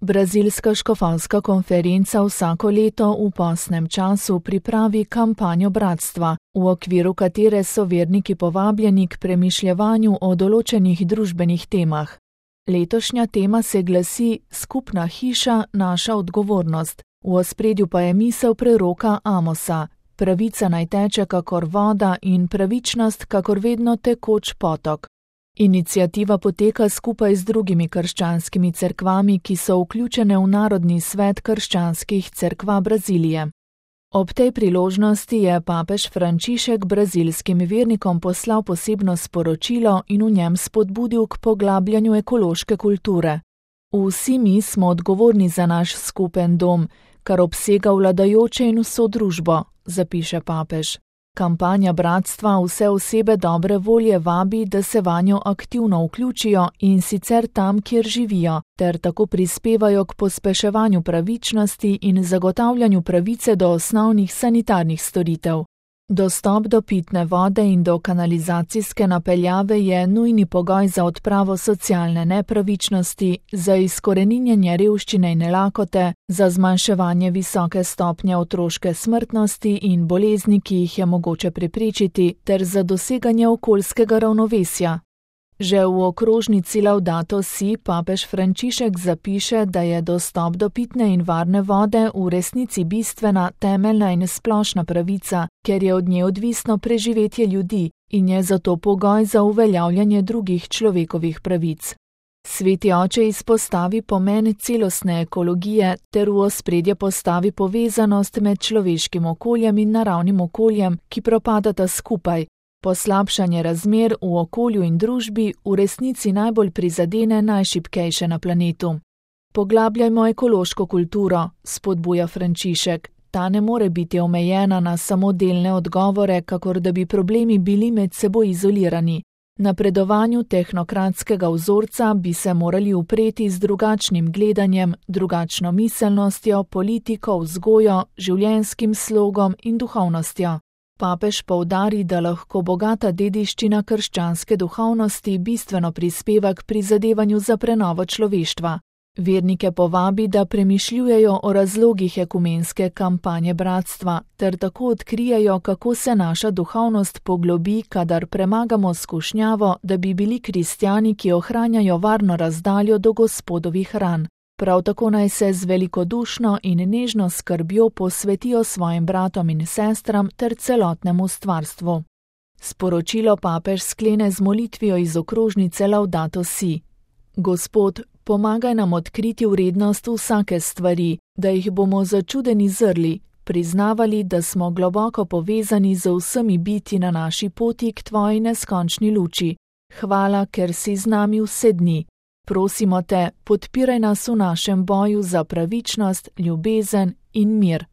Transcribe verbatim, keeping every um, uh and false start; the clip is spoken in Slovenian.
Brazilska škofovska konferenca vsako leto v postnem času pripravi kampanjo bratstva, v okviru katere so verniki povabljeni k premišljevanju o določenih družbenih temah. Letošnja tema se glasi Skupna hiša, naša odgovornost. V ospredju pa je misel preroka Amosa: pravica naj teče kakor voda in pravičnost kakor vedno tekoč potok. Iniciativa poteka skupaj z drugimi krščanskimi cerkvami, ki so vključene v Narodni svet krščanskih cerkva Brazilije. Ob tej priložnosti je papež Frančišek brazilskim vernikom poslal posebno sporočilo in v njem spodbudil k poglabljanju ekološke kulture. Vsi mi smo odgovorni za naš skupen dom, kar obsega vladajoče in vso družbo, zapiše papež. Kampanja bratstva vse osebe dobre volje vabi, da se vanjo aktivno vključijo in sicer tam, kjer živijo, ter tako prispevajo k pospeševanju pravičnosti in zagotavljanju pravice do osnovnih sanitarnih storitev. Dostop do pitne vode in do kanalizacijske napeljave je nujni pogoj za odpravo socialne nepravičnosti, za izkoreninjenje revščine in lakote, za zmanjševanje visoke stopnje otroške smrtnosti in bolezni, ki jih je mogoče preprečiti, ter za doseganje okoljskega ravnovesja. Že v okrožnici Laudato Si papež Frančišek zapiše, da je dostop do pitne in varne vode v resnici bistvena, temeljna in splošna pravica, ker je od nje odvisno preživetje ljudi in je zato pogoj za uveljavljanje drugih človekovih pravic. Sveti oče izpostavi pomen celostne ekologije ter v ospredje postavi povezanost med človeškim okoljem in naravnim okoljem, ki propadata skupaj. Poslabšanje razmer v okolju in družbi v resnici najbolj prizadene najšibkejše na planetu. Poglabljajmo ekološko kulturo, spodbuja Frančišek. Ta ne more biti omejena na samo delne odgovore, kakor da bi problemi bili med seboj izolirani. Napredovanju tehnokratskega vzorca bi se morali upreti z drugačnim gledanjem, drugačno miselnostjo, politiko, vzgojo, življenjskim slogom in duhovnostjo. Papež poudari, da lahko bogata dediščina krščanske duhovnosti bistveno prispeva k prizadevanju za prenovo človeštva. Vernike povabi, da premišljujejo o razlogih ekumenske kampanje bratstva, ter tako odkrijejo, kako se naša duhovnost poglobi, kadar premagamo skušnjavo, da bi bili kristjani, ki ohranjajo varno razdaljo do Gospodovih ran. Prav tako naj se z velikodušno in nežno skrbjo posvetijo svojim bratom in sestram ter celotnemu stvarstvu. Sporočilo papež sklene z molitvijo iz okrožnice Laudato Si. Gospod, pomagaj nam odkriti vrednost vsake stvari, da jih bomo začudeni zrli, priznavali, da smo globoko povezani z vsemi biti na naši poti k tvoji neskončni luči. Hvala, ker si z nami vse dni. Prosimo te, podpiraj nas v našem boju za pravičnost, ljubezen in mir.